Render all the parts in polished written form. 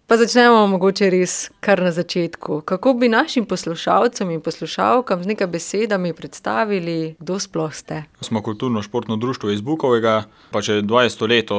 Pa začnemo mogoče res kar na začetku. Kako bi našim poslušalcem in poslušalkam z nekaj besedami predstavili, kdo sploh ste? Smo kulturno-športno društvo iz Bukovega, pa že 20 leto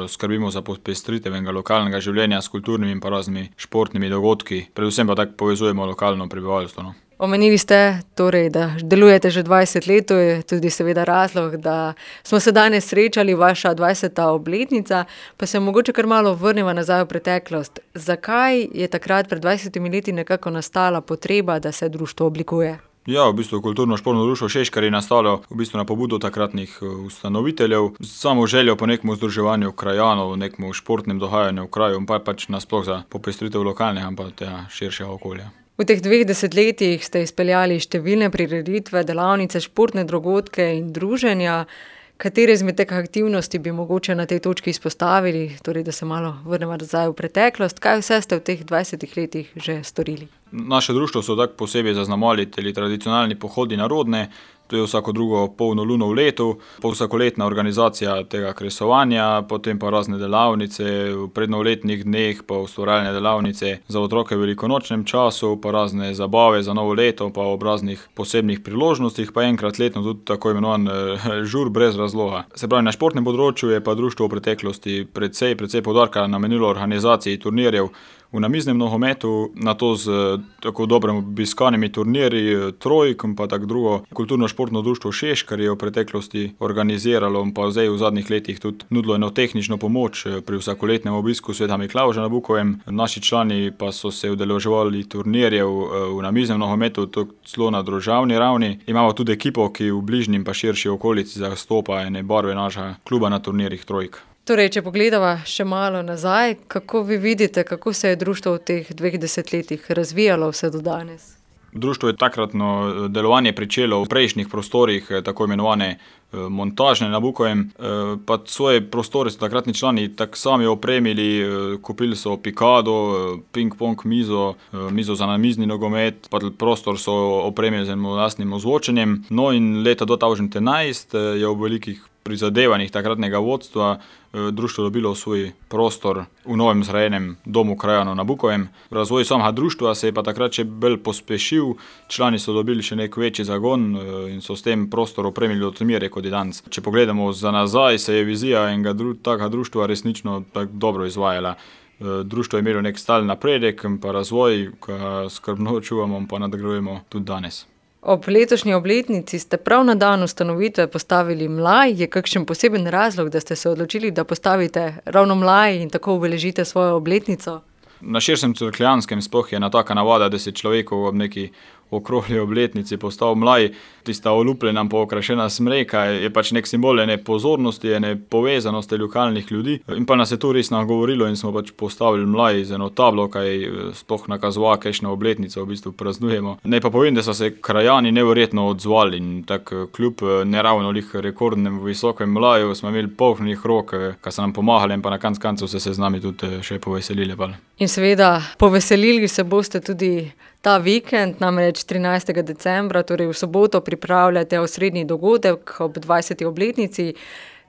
skrbimo za popestritev lokalnega življenja s kulturnimi in pa raznimi športnimi dogodki. Predvsem pa tako povezujemo lokalno prebivalstvo. No. Omenili ste torej, da delujete že 20 let, to je tudi seveda razlog, da smo se danes srečali, vaša 20. obletnica, pa se mogoče kar malo vrnemo nazaj v preteklost. Zakaj je takrat pred 20 leti nekako nastala potreba, da se društvo oblikuje? Ja, v bistvu kulturno-športno društvo Šeškar je nastalo v bistvu na pobudo takratnih ustanoviteljev, samo željo po nekem združevanju krajanov, nekem športnem dogajanju v kraju, pa pač nasploh za popestritev lokalnega in pa tega širšega okolja. V teh 2 desetletjih ste izpeljali številne prireditve, delavnice, športne dogodke in druženja. Katere izmed teh aktivnosti bi mogoče na tej točki izpostavili, torej da se malo vrnemo nazaj v preteklost? Kaj vse ste v teh 20 letih že storili? Naše društvo so tako posebej zaznamovali tradicionalni pohodi narodne, to je vsako drugo polno luno v letu, vsakoletna organizacija tega kresovanja, potem pa razne delavnice, v prednovoletnih dneh pa ustvarjalne delavnice za otroke v velikonočnem času, pa razne zabave za novo leto, pa ob raznih posebnih priložnostih, pa enkrat letno tudi tako imenovan žur brez razloga. Se pravi, na športnem področju je pa društvo v preteklosti precej poudarka namenilo organizaciji turnirjev v namiznem nogometu, na to z tako dobro obiskanimi turnirji, trojk in pa tako drugo. Kulturno-športno društvo Šeškar je v preteklosti organiziralo in pa zdaj v zadnjih letih tudi nudilo eno tehnično pomoč pri vsakoletnem obisku Sveta Miklavža na Bukovem. Naši člani pa so se udeleževali turnirjev v namiznem nogometu, celo na državni ravni. Imamo tudi ekipo, ki v bližnji in pa širši okolici zastopa ene barve našega kluba na turnirjih trojk. Torej, če pogledava še malo nazaj, kako vi vidite, kako se je društvo v teh 2 desetletjih razvijalo vse do danes? Društvo je takratno delovanje pričelo v prejšnjih prostorih, tako imenovane montažne na Bukovem, pa svoje prostore so takratni člani tak sami opremili, kupili so pikado, ping-pong mizo za namizni nogomet, pa prostor so opremili z enim lastnim ozvočenjem. No in leta 2011 je v velikih prizadevanjih takratnega vodstva društvo dobilo svoj prostor v novem zgrajenem domu krajanov na Bukovem. Razvoj samega društva se je pa takrat še bolj pospešil, člani so dobili še nek večji zagon in so s tem prostor opremili do te mere, kot je danes. Če pogledamo za nazaj, se je vizija enega takega društva resnično tako dobro izvajala. Društvo je imelo nek stalen napredek in pa razvoj, ki skrbno čuvamo in pa nadgrajujemo tudi danes. Ob letošnji obletnici ste prav na dan ustanovitve postavili mlaj. Je kakšen poseben razlog, da ste se odločili, da postavite ravno mlaj in tako obeležite svojo obletnico? Na širšem Cerkljanskem sploh je ena taka navada, da se človeku ob neki okrogli obletnici postavi mlaj. Tista olupljena pa okrašena smreka je pač nek simbol ene pozornosti, ene povezanosti lokalnih ljudi. In pa nas je to res nagovorilo in smo pač postavili mlaj z eno tablo, kaj sploh nakazuje, kakšno obletnico v bistvu praznujemo. Naj pa povem, da so se krajani neverjetno odzvali in tako kljub neravno rekordnem visokem mlaju smo imeli polnih rok, ki so nam pomagali in pa na koncu se z nami tudi še poveselili. In seveda poveselili se boste tudi ta vikend, namreč 13. decembra, torej v soboto pripravljate osrednji dogodek ob 20. obletnici.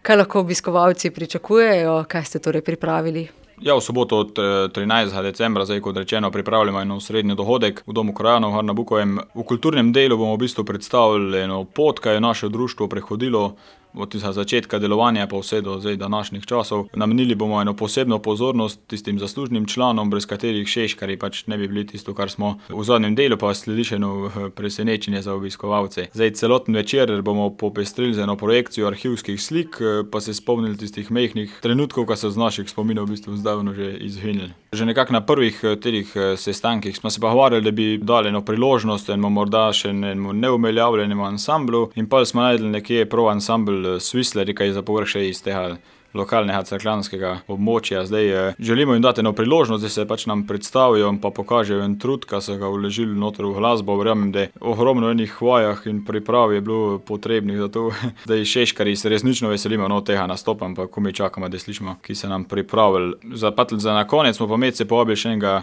Kaj lahko obiskovalci pričakujejo, kaj ste torej pripravili? Ja, v soboto od 13. decembra, zdaj kot rečeno, pripravljamo eno osrednji dogodek v domu krajanov na Bukovem. V kulturnem delu bomo v bistvu predstavili eno pot, kaj je naše društvo prehodilo od začetka delovanja pa vse do zdaj današnjih časov. Namenili bomo eno posebno pozornost tistim zaslužnim članom, brez katerih Šeškarji pač ne bi bili tisto, kar smo. V zadnjem delu pa sledi še eno presenečenje za obiskovalce. Zdaj celoten večer bomo popestrili z eno projekcijo arhivskih slik, pa se spomnili tistih mehkih trenutkov, ki so z naših spominov v bistvu zdavno že izginili. Že nekako na prvih teh sestankih smo se pa govorili, da bi dali eno priložnost enemu morda še enemu neuveljavljenemu ansamblu in pa smo najdeli nekje prav ansambl Svisleri, ki je za povrh še iz tega lokalnega cerkljanskega območja. Zdaj želimo jim dati eno priložnost, da se pač nam predstavijo in pa pokažejo en trud, ki so ga vložili noter v glasbo. Verjamem, da ogromno enih vajah in priprav je bilo potrebnih za to. Zdaj Šeškarji se resnično veselimo tega nastopa, pa ko mi čakamo, da slišimo, ki se nam pripravili. Za na konec smo pa med se povabili še enega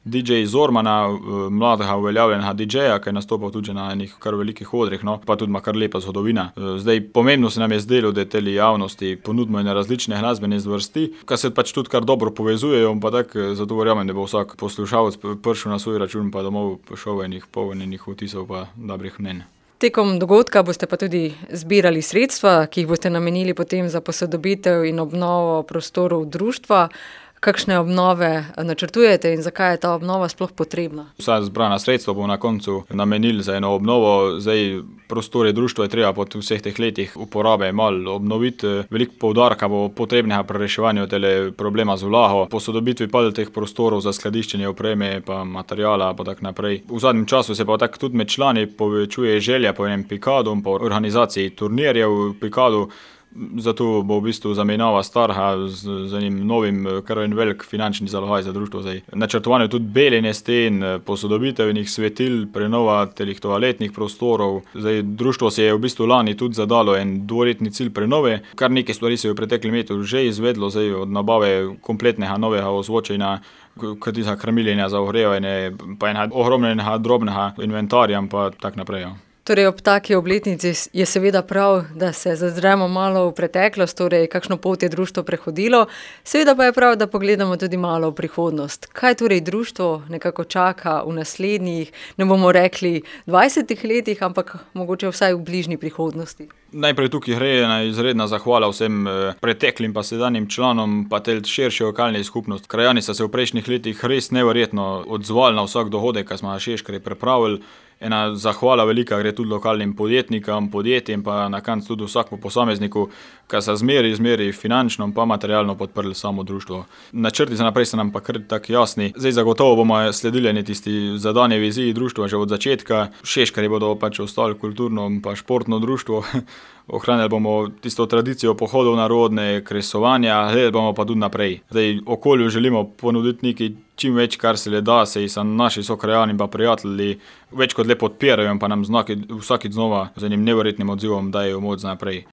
DJ Zormana, mladega uveljavljenega DJ-ja, ki je nastopal tudi na enih kar velikih odrih, no, pa tudi ima kar lepa zgodovina. Zdaj, pomembno se nam je zdelo, da teli javnosti ponudimo ene različne glasbene zvrsti, ki se pač tudi kar dobro povezujejo, pa tako, zato verjamem, da bo vsak poslušalec prišel na svoj račun, pa domov šel enih polnjenih vtisov pa dobrih mnenj. Tekom dogodka boste pa tudi zbirali sredstva, ki jih boste namenili potem za posodobitev in obnovo prostorov društva. Kakšne obnove načrtujete in zakaj je ta obnova sploh potrebna? Vsa zbrana sredstva bomo na koncu namenili za eno obnovo. Zdaj, prostore društva je treba po vseh teh letih uporabe malo obnoviti. Veliko poudarka bo potrebnega pri reševanju tele problema z vlago, posodobitvi pa teh prostorov za skladiščenje opreme pa materijala pa tako naprej. V zadnjem času se pa tako tudi med člani povečuje želja po enem pikadu, po organizaciji turnirjev pikadu. Zato bo v bistvu zamenjava starha z enim novim, kar en velik finančni zalogaj za društvo. Načrtovanje tudi beljenje sten, posodobitev enih svetil, prenova telih toaletnih prostorov. Društvo se je v bistvu lani tudi zadalo en dvoletni cilj prenove. Kar nekaj stvari se je v preteklem letu že izvedlo, od nabave kompletnega novega ozvočenja, za krmiljenja, za ogrevanje, pa enega ogromnega drobnega inventarja pa tak naprej. Torej, ob taki obletnici je seveda prav, da se zazremo malo v preteklost, torej kakšno pot je društvo prehodilo, seveda pa je prav, da pogledamo tudi malo v prihodnost. Kaj torej društvo nekako čaka v naslednjih, ne bomo rekli 20 letih, ampak mogoče vsaj v bližnji prihodnosti? Najprej tukaj gre ena izredna zahvala vsem preteklim pa sedanjim članom, pa te širše lokalne skupnosti. Krajani so se v prejšnjih letih res neverjetno odzvali na vsak dogodek, ki smo na Šeškari pripravili. Ena zahvala velika gre tudi lokalnim podjetnikom, podjetjem, pa na koncu tudi vsakemu posamezniku, ki so zmeri finančno pa materialno podprli samo društvo. Načrti za naprej so nam pa kar tako jasni. Zdaj zagotovo bomo sledili tisti zadani viziji društva že od začetka. Šeškari bodo pač ostali kulturno pa športno društvo. Ohranjali bomo tisto tradicijo pohodov narodne, kresovanja, gledali bomo pa tudi naprej. Zdaj, okolju želimo ponuditi nekaj čim več, kar se le da, se so naši sokrajani pa prijatelji več kot le podpirajo, pa nam vsakič znova z enim neverjetnim odzivom dajejo moč naprej.